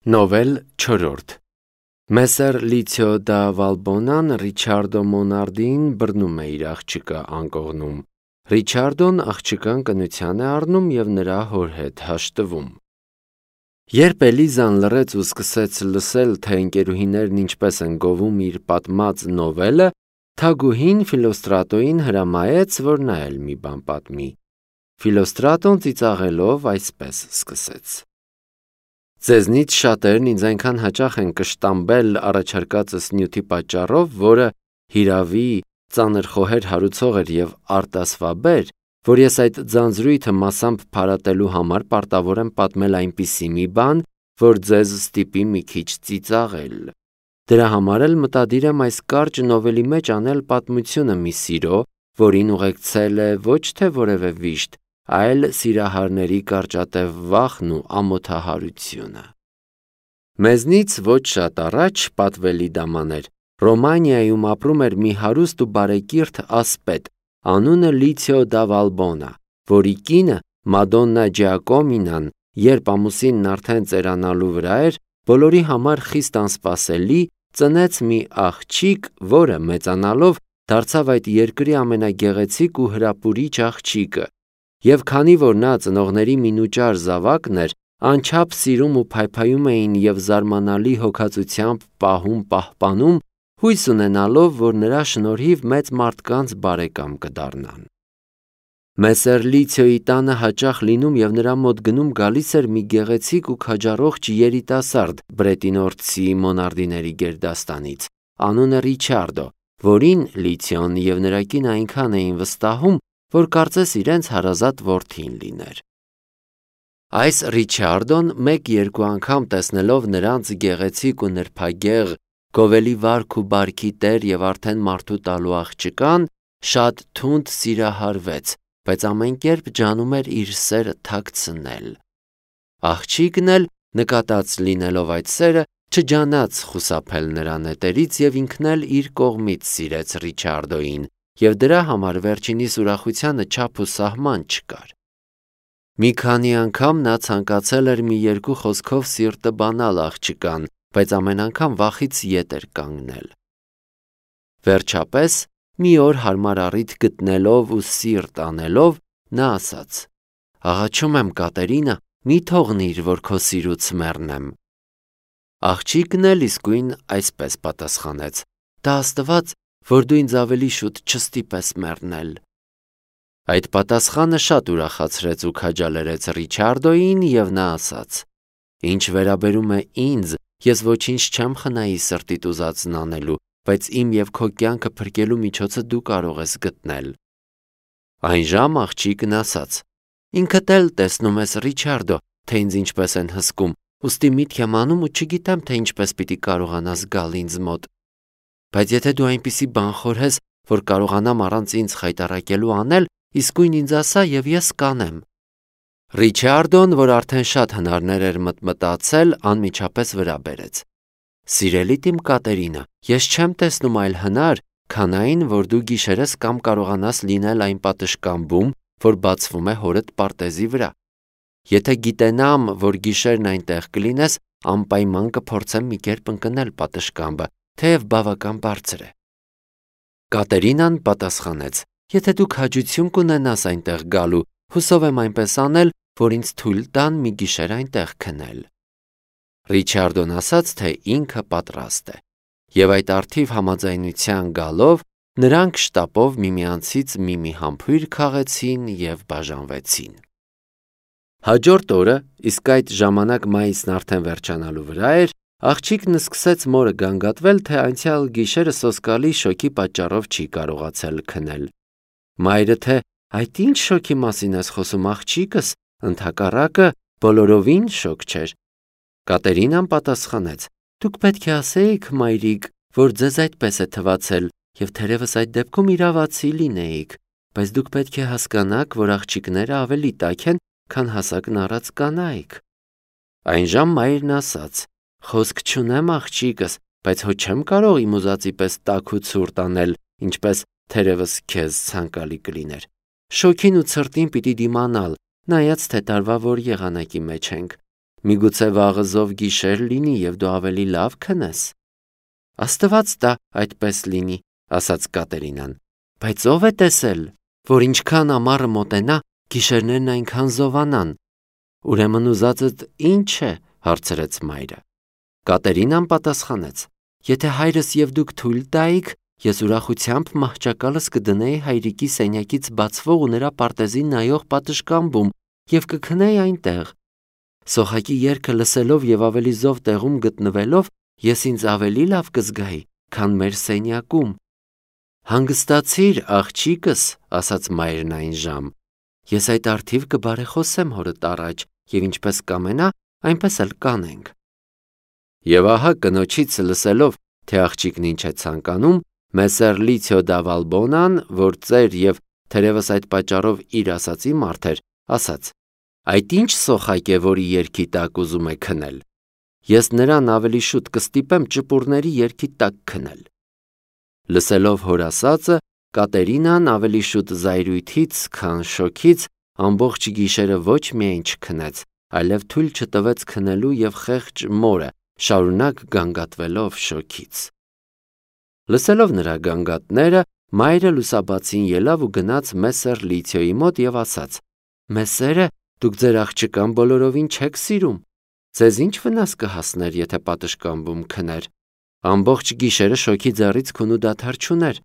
Նովել 4 Մեսեր Լիցիո դա Վալբոնան Ռիչարդո Մոնարդին բռնում է իր աղջկա անկողնում։ Ռիչարդոն աղջկան կնության է առնում և նրա հոր հետ հաշտվում։ Երբ Էլիզան լռեց ու սկսեց լսել, թե ընկերուհիներն ինչպես են գովում իր պատմած նովելը, թագուհին Ֆիլոստրատոյին հրամայեց, որ նա էլ մի բան պատմի։ Ֆիլոստրատոն ծիծաղելով այսպես սկսեց. Ձեզնից շատերն ինձ այնքան հաճախ են կշտամբել առաջարկածս նյութի պատճառով, որը հիրավի ծանր խոհեր հարուցող էր և արտասվաբեր, որ ես այդ ձանձրույթը մասամբ փարատելու համար պարտավոր եմ պատմել այնպիսի մի բան, որ ձեզ ստիպի մի քիչ ծիծաղել։ Դրա համար էլ մտադիր եմ այս կարճ նովելի մեջ անել պատմությունը մի սիրո, որին ուղեկցել է ոչ թե որևէ վիշտ, այլ սիրահարների կարճատև վախն ու ամոթահարությունը։ Մեզնից ոչ շատ առաջ, պատվելի դամաներ, Ռոմանիայում ապրում էր մի հարուստ ու բարեկիրթ ասպետ, անունը Լիցիո դա Վալբոնա, որի կինը Մադոննա Ջիակոմինան, երբ ամուսինն արդեն ծերանալու վրա էր, բոլորի համար խիստ անսպասելի, ծնեց մի աղջիկ, որը մեծանալով դարձավ այդ երկրի ամենագեղեցիկ ու հրապուրիչ աղջիկը, և քանի որ նա ծնողների մինուճար զավակն էր, անչափ սիրում ու փայփայում էին և զարմանալի հոգածությամբ պահում-պահպանում, հույս ունենալով, որ նրա շնորհիվ մեծ մարդկանց բարեկամ կդառնան։ Մեսեր Լիցիոյի տանը հաճախ լինում և նրա մոտ գնում գալիս էր մի գեղեցիկ ու քաջառողջ երիտասարդ բրետինորցի Մոնարդիների գերդաստանից, անունը Ռիչարդո, որին Լիցիոն և նրա կինը այնքան էին վստահում, որ կարծես իրենց հարազատ որդին լիներ։ Այս Ռիչարդոն մեկ-երկու անգամ տեսնելով նրանց գեղեցիկ ու նրբագեղ, գովելի վարք ու բարքի տեր և արդեն մարդու տալու աղջկան, շատ թունդ սիրահարվեց, բայց ամեն կերպ ջանում էր իր սերը թաքցնել։ Աղջիկն էլ, նկատած լինելով այդ սերը, չջանաց խուսափել նրա նետերից և ինքն էլ իր կողմից սիրեց Ռիչարդոյին, և դրա համար վերջինիս ուրախությանը չափ ու սահման չկար։ Մի քանի անգամ նա ցանկացել էր մի երկու խոսքով սիրտը բանալ աղջկան, բայց ամեն անգամ վախից ետ էր կանգնել։ Վերջապես, մի օր հարմար առիթ գտնելով ու սիրտ անելով, նա ասաց. «Աղաչում եմ, Կատերինա, մի թողնիր, որ քո սիրուց մեռնեմ»։ Աղջիկն էլ իսկույն այսպես պատասխանեց. «Տա Աստված, որ դու ինձ ավելի շուտ չստիպես մեռնել»։ Այդ պատասխանը շատ ուրախացրեց ու քաջալերեց Ռիչարդոյին, և նա ասաց. «Ինչ վերաբերում է ինձ, ես ոչինչ չեմ խնայի սրտիդ ուզածն անելու, բայց իմ և քո կյանքը փրկելու միջոցը դու կարող ես գտնել»։ Այնժամ աղջիկն ասաց. «Ինքդ էլ տեսնում ես, Ռիչարդո, թե ինձ ինչպես են հսկում, ուստի միտք եմ անում ու չգիտեմ, թե ինչպես պիտի կարողանաս գալ ինձ մոտ։ Բայց եթե դու այնպիսի բան խորհես, որ կարողանամ առանց ինձ խայտառակելու անել, իսկույն ինձ ասա, և ես կանեմ»։ Ռիչարդոն, որ արդեն շատ հնարներ էր մտմտացել, անմիջապես վրա բերեց. «Սիրելի իմ Կատերինա, ես չեմ տեսնում այլ հնար, քան այն, որ դու գիշերս կամ կարողանաս լինել այն պատշգամբում, որ բացվում է հորդ պարտեզի վրա։ Եթե գիտենամ, որ գիշերն այնտեղ կլինես, անպայման կփորձեմ մի կերպ ընկնել պատշգամբը, թեև բավական բարձր է»։ Կատերինան պատասխանեց. «Եթե դուք հաճություն կունենաս այնտեղ գալու, հուսով եմ այնպես անել, որ ինձ թույլ տան մի գիշեր այնտեղ քնել»։ Ռիչարդոն ասաց, թե ինքը պատրաստ է, և այդ առթիվ համաձայնության գալով, նրանք շտապով միմյանցից մի համբույր քաղեցին և բաժանվեցին։ Հաջորդ օրը, իսկ այդ ժամանակ մայիսն արդեն վերջանալու վրա էր, աղջիկն սկսեց մորը գանգատվել, թե անցյալ գիշերը սոսկալի շոկի պատճառով չի կարողացել քնել։ Մայրը թե «Այդ ինչ շոկի մասին ես խոսում, աղջիկս, ընդհակառակը բոլորովին շոկ չէր»։ Կատերինան պատասխանեց. «Դուք պետք է ասեիք, մայրիկ, որ ձեզ այդպես է թվացել, և թերևս այդ դեպքում իրավացի լինեիք, բայց դուք պետք է հասկանաք, որ աղջիկները ավելի տաք են, քան հասակն առած կանայք»։ Այնժամ մայրն ասաց. «Խոսք չունեմ, աղջիկս, բայց հո չեմ կարող իմ ուզածի պես տաք ու ցուրտ անել, ինչպես թերևս քեզ ցանկալի կլիներ։ Շոգին ու ցրտին պիտի դիմանալ, նայած թե տարվա որ եղանակի մեջ ենք։ Միգուցե վաղը զով գիշեր լինի և դու ավելի լավ քնես։ Աստված տա այդպես լինի, ասաց Կատերինան, բայց ով է տեսել, որ ինչքան ամառը մոտենա, գիշերներն այնքան զովանան։ Ուրեմն ուզածդ ի՞նչ է, հարցրեց մայրը։ Կատերինան պատասխանեց. Եթե հայրս և դուք թույլ տայիք, ես ուրախությամբ մահճակալս կդնեի հայրիկի սենյակից բացվող ու նրա պարտեզին նայող պատշգամբում և կքնեի այնտեղ։ Սոխակի երգը լսելով և ավելի զով տեղում գտնվելով, ես ինձ ավելի լավ կզգայի, քան մեր սենյակում։ Հանգստացիր, աղջիկս, ասաց մայրն այն ժամ։ Ես այդ առթիվ կբարեխոսեմ հորդ առաջ, և ինչպես կամենա, այնպես էլ կանենք։ Եվ ահա կնոջից լսելով, թե աղջիկն ինչ է ցանկանում, Մեսեր Լիցիո դա Վալբոնան, որ ծեր և թերևս այդ պատճառով իր ասացի մարդ էր, ասաց. Այդ ինչ սոխակ է, որի երգի տակ ուզում է քնել։ Ես նրան ավելի շուտ կստիպեմ ճպուրների երգի տակ քնել։ Լսելով հոր ասածը, Կատերինան ավելի շուտ զայրույթից, քան շոքից ամբողջ գիշերը ոչ միայն չքնեց, այլև թույլ չտվեց քնելու և խեղճ մորը, շարունակ գանգատվելով շոքից։ Լսելով նրա գանգատները, մայրը լուսաբացին ելավ ու գնաց Մեսեր Լիցիոյի մոտ և ասաց. Մեսերը, դուք ձեր աղջկան բոլորովին չեք սիրում։ Ձեզ ինչ վնաս կհասներ, եթե պատշգամբում քներ։ Ամբողջ գիշերը շոքի ձեռից քունու դադար չուներ։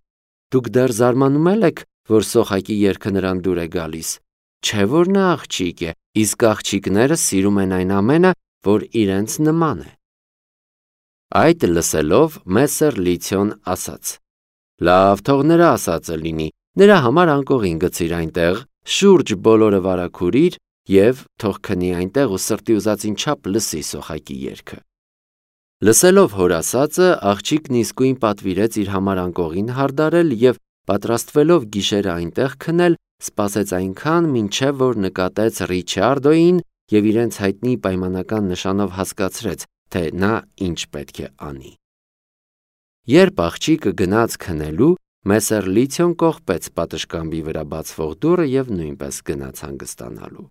Դուք դեռ զարմանում եք, որ սոխակի երգը նրան դուր է գալիս։ Չէ՞ որ նա աղջիկ է, իսկ աղջիկները սիրում են այն ամենը, որ իրենց նման է։ Այդ լսելով Մեսեր Լիցիոն ասաց. Լավ, թող նրա ասածը լինի, նրա համար անկողին գցիր այնտեղ, շուրջ բոլորը վարագուրիր և թող քնի այնտեղ ու սրտի ուզածին չափ լսի սոխակի երգը։ Լսելով հոր ասածը, աղջիկն իսկույն պատվիրեց իր համար անկողին հարդարել և պատրաստվելով գիշերը այնտեղ քնել, սպասեց այնքան, մինչև որ նկատեց Ռիչարդոյին և իրենց հայտնի պայմանական նշանով հասկացրեց, թե նա ինչ պետք է անի։ Երբ աղջիկը գնաց քնելու, Մեսեր Լիցիոն կողպեց պատշգամբի վրա բացվող դուռը և նույնպես գնաց հանգստանալու։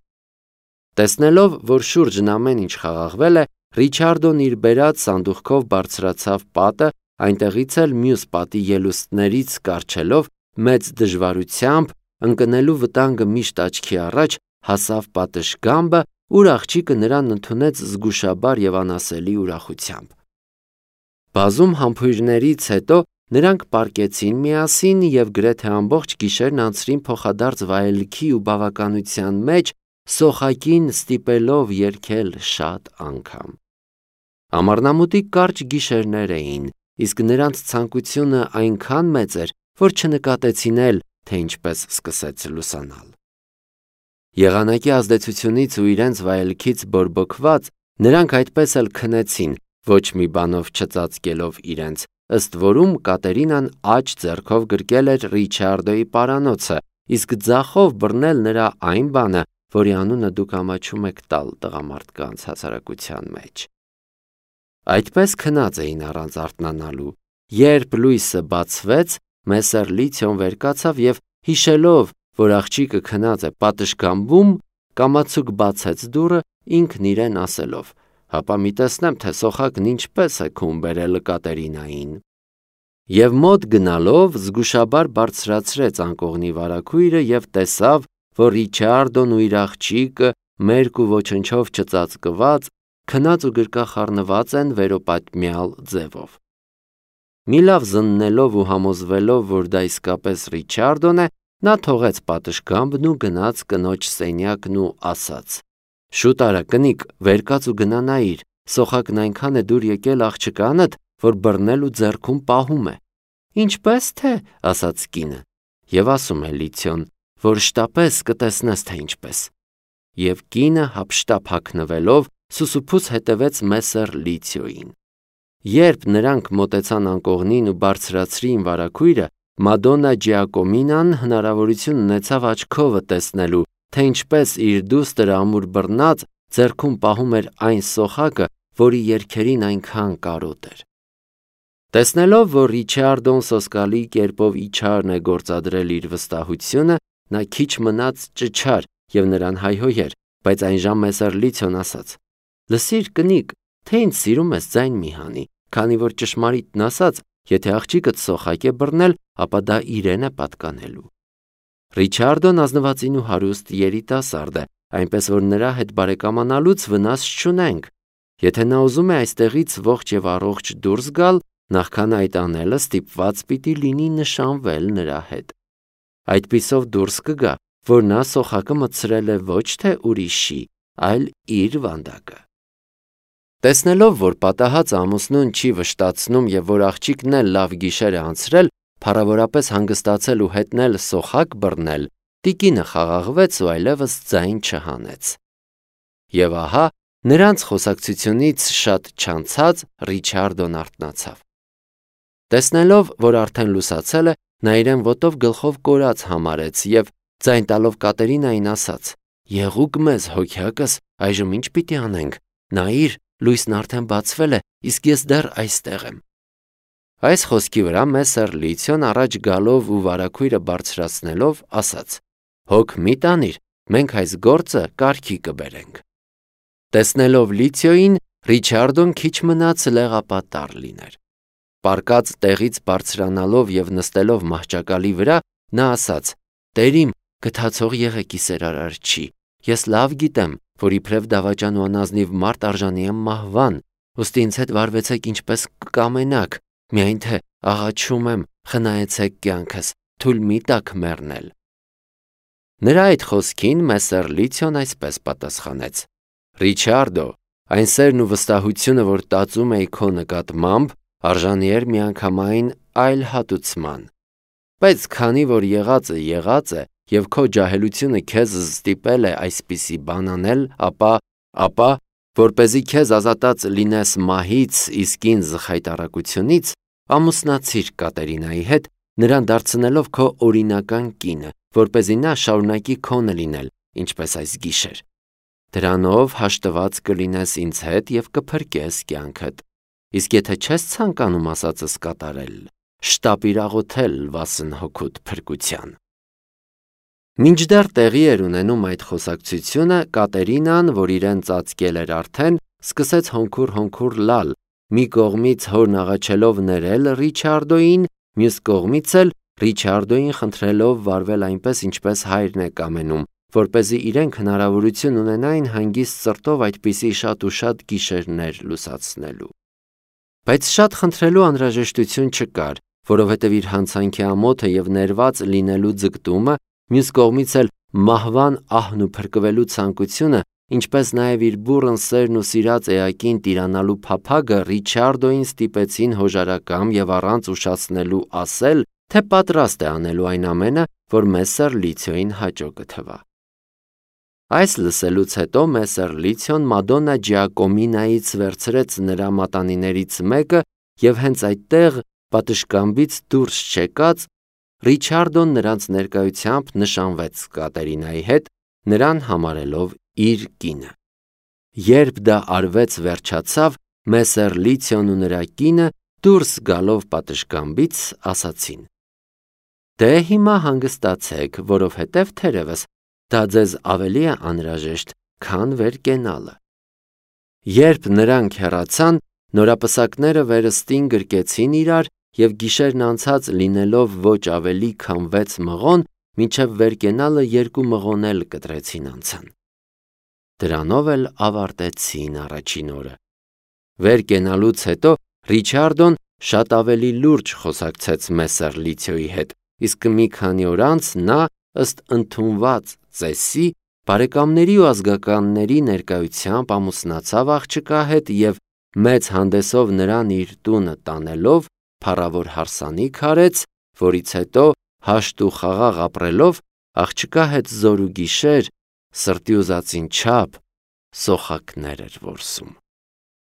Տեսնելով, որ շուրջն ամեն ինչ խաղաղվել է, Ռիչարդոն իր բերած սանդուղքով բարձրացավ պատը, այնտեղից էլ մյուս պատի ելուստներից կառչելով, մեծ դժվարությամբ, ընկնելու վտանգը միշտ աչքի առաջ, հասավ պատշգամբը, ուր աղջիկը նրան ընդունեց զգուշաբար և անասելի ուրախությամբ։ Բազում համբույրներից հետո նրանք պառկեցին միասին և գրեթե ամբողջ գիշերն անցրին փոխադարձ վայելքի ու բավականության մեջ, սոխակին ստիպելով երգել շատ անգամ։ Ամառնամուտի կարճ գիշերներ էին, իսկ նրանց ցանկությունը այնքան մեծ էր, որ չնկատեցին էլ, թե ինչպես սկսեց լուսանալ։ Եղանակի ազդեցությունից ու իրենց վայելքից բորբոքված, նրանք այդպես էլ քնեցին, ոչ մի բանով չծածկելով իրենց, ըստ որում Կատերինան աջ ձեռքով գրկել էր Ռիչարդոյի պարանոցը, իսկ ձախով բռնել նրա այն բանը, որի անունը դուք ամաչում եք տալ տղամարդկանց հասարակության մեջ։ Այդպես քնած էին առանց արթնանալու։ Երբ լույսը բացվեց, Մեսեր Լիցիոն վեր կացավ և հիշելով, որ աղջիկը քնած է պատշգամբում, կամացուկ բացեց դուռը, ինքն իրեն ասելով. հապա մի տեսնեմ, թե սոխակն ինչպես է քուն բերել Կատերինային։ Եվ մոտ գնալով զգուշաբար բարձրացրեց անկողնի վարագույրը և տեսավ, որ Ռիչարդոն ու իր աղջիկը մերկ ու ոչնչով չծածկված, քնած ու գրկախառնված են վերոպատմյալ ձևով։ Մի լավ զննելով ու համոզվելով, որ դա իսկապես Ռիչարդոն է, նա թողեց պատշգամբն ու գնաց կնոջ սենյակն ու ասաց. Շուտ արա, կնիկ, վեր կաց ու գնա նայիր, սոխակն այնքան է դուր եկել աղջկանդ, որ բռնել ու ձեռքում պահում է։ Ինչպես թե, ասաց կինը, և ասում է Լիցիոն, որ շտապես կտեսնես, թե ինչպես։ Եվ կինը հափշտապ հագնվելով սուսուփուց հետևեց Մեսեր Լիցիոյին։ Երբ նրանք մոտեցան անկողնին ու բարձրացրին վարագույրը, Մադոննա Ջիակոմինան հնարավորություն ունեցավ աչքովը տեսնելու, թե ինչպես իր դուստրը ամուր բռնած ձեռքում պահում էր այն սոխակը, որի երգերին այնքան կարոտ էր։ Տեսնելով, որ Ռիչարդոն սոսկալի կերպով իջարն է գործադրել իր վստահությունը, նա քիչ մնաց ճչար և նրան հայհոյեր, բայց այնժամ Մեսեր Լիցիոն ասաց. Լսիր, կնիկ, թե ինձ սիրում ես, ձայն մի հանի, քանի որ ճշմարիտն ասած, եթե աղջիկդ սոխակ է բռնել, ապա դա իրեն է պատկանելու։ Ռիչարդոն ազնվածին ու հարուստ երիտասարդ է, այնպես որ նրա հետ բարեկամանալուց վնաս չունենք։ Եթե նա ուզում է այստեղից ողջ եւ առողջ դուրս գալ, նախքան այդ անելը ստիպված պիտի լինի նշանվել նրա հետ։ Այդպիսով դուրս կգա, որ նա սոխակը մտցրել է ոչ թե ուրիշի, այլ իր վանդակը։ Տեսնելով, որ պատահած ամուսնուն չի վշտացնում եւ որ աղջիկն էլ լավ գիշեր է անցրել, փառավորապես հանգստացել ու հետնել սոխակ բռնել, տիկինը խաղաղվեց ու այլևս ձայն չհանեց։ Եվ ահա, նրանց խոսակցությունից շատ չանցած Ռիչարդոն արթնացավ։ Տեսնելով, որ արդեն լուսացել է, նա իրեն ոտով գլխով կորած համարեց եւ ձայն տալով Կատերինային ասաց. «Եղուկ մեզ, հոգյակս, այժմ ինչ պիտի անենք։ Նայիր, լույսն արդեն բացվել է, իսկ ես դեռ այստեղ եմ»։ Այս խոսքի վրա Մեսեր Լիցիոն առաջ գալով ու վարագույրը բարձրացնելով ասաց. «Հոգ մի տանիր, մենք այս գործը կարգի կբերենք»։ Տեսնելով Լիցիոյին, Ռիչարդոն քիչ մնաց լեղապատառ լիներ։ Պառկած տեղից բարձրանալով եւ նստելով մահճակալի վրա, նա ասաց. «Տերիմ, գթացող եղեք ի սերարար չի։ Ես լավ գիտեմ, որ իբրև դավաճան ու անազնիվ մարդ արժանի եմ մահվան, ուստի ինձ հետ վարվեցեք ինչպես կկամենաք, միայն թե աղաչում եմ, խնայեցեք կյանքս, թույլ մի տաք մեռնել»։ Նրա այդ խոսքին Մեսեր Լիցիոն այսպես պատասխանեց. «Ռիչարդո, այն սերն ու վստահությունը, որ տածում էի քո նկատմամբ, արժանի էր միանգամայն այլ հատուցման։ Բայց քանի որ եղածը եւ քո ջահելությունը քեզ ստիպել է այսպիսի բան անել, ապա որպեսզի քեզ ազատած լինես մահից, իսկ ինձ խայտառակությունից, ամուսնացիր Կատերինայի հետ, նրան դարձնելով քո օրինական կինը, որպեսզի նա շարունակի քոնը լինել, ինչպես այս գիշեր։ Դրանով հաշտված կլինես ինձ հետ եւ կփրկես կյանքդ։ Իսկ եթե չես ցանկանում ասածս կատարել, շտապիր աղոթել վասն հոգուդ փրկության»։ Մինչդեռ տեղի էր ունենում այդ խոսակցությունը, Կատերինան, որ իրեն ծածկել էր արդեն, սկսեց հոնքուր լալ, մի կողմից հորն աղաչելով ներել Ռիչարդոյին, մյուս կողմից էլ Ռիչարդոյին խնդրելով վարվել այնպես, ինչպես հայրն է կամենում, որպեսզի իրենք հնարավորություն ունենային հանգիստ սրտով այդպիսի շատ ու շատ գիշերներ լուսացնելու։ Բայց շատ խնդրելու անհրաժեշտություն չկար, որովհետև իր հանցանքի ամոթը եւ ներված լինելու ձգտումը, մյուս կողմից էլ մահվան ահն ու փրկվելու ցանկությունը, ինչպես նաև իր բուռն սերն ու սիրած էակին տիրանալու փափագը Ռիչարդոյին ստիպեցին հոժարակամ եւ առանց ուշացնելու ասել, թե պատրաստ է անելու այն ամենը, որ Մեսեր Լիցիոյին հաճո կթվա։ Այս լսելուց հետո Մեսեր Լիցիոն Մադոննա Ջիակոմինայից վերցրեց նրա մատանիներից մեկը եւ հենց այդտեղ պատշգամբից դուրս չեկած Ռիչարդոն նրանց ներկայությամբ նշանվեց Կատերինայի հետ, նրան համարելով իր կինը։ Երբ դա արվեց վերջացավ, Մեսեր Լիցիոն ու նրա կինը դուրս գալով պատշգամբից ասացին. «Դե հիմա հանգստացեք, որովհետև թերևս դա ձեզ ավելի է անհրաժեշտ, քան վեր կենալը»։ Երբ նրանք հեռացան, նորապսակները վերստին գրկեցին իրար եւ գիշերն անցած լինելով ոչ ավելի քան 6 մղոն, մինչև վեր կենալը 2 մղոն էլ կտրեցին անցան։ Դրանով էլ ավարտեցին առաջին օրը։ Վեր կենալուց հետո Ռիչարդոն շատ ավելի լուրջ խոսակցեց Մեսեր Լիցիոյի հետ, իսկ մի քանի օր անց նա, ըստ ընդունված ծեսի, բարեկամների ու ազգականների ներկայությամբ ամուսնացավ աղջկա հետ եւ մեծ հանդեսով նրան իր տունը տանելով փառավոր հարսանիք արեց, որից հետո հաշտ ու խաղաղ ապրելով աղջկա հետ զոր ու գիշեր սրտի ուզածին չափ սոխակներ էր որսում։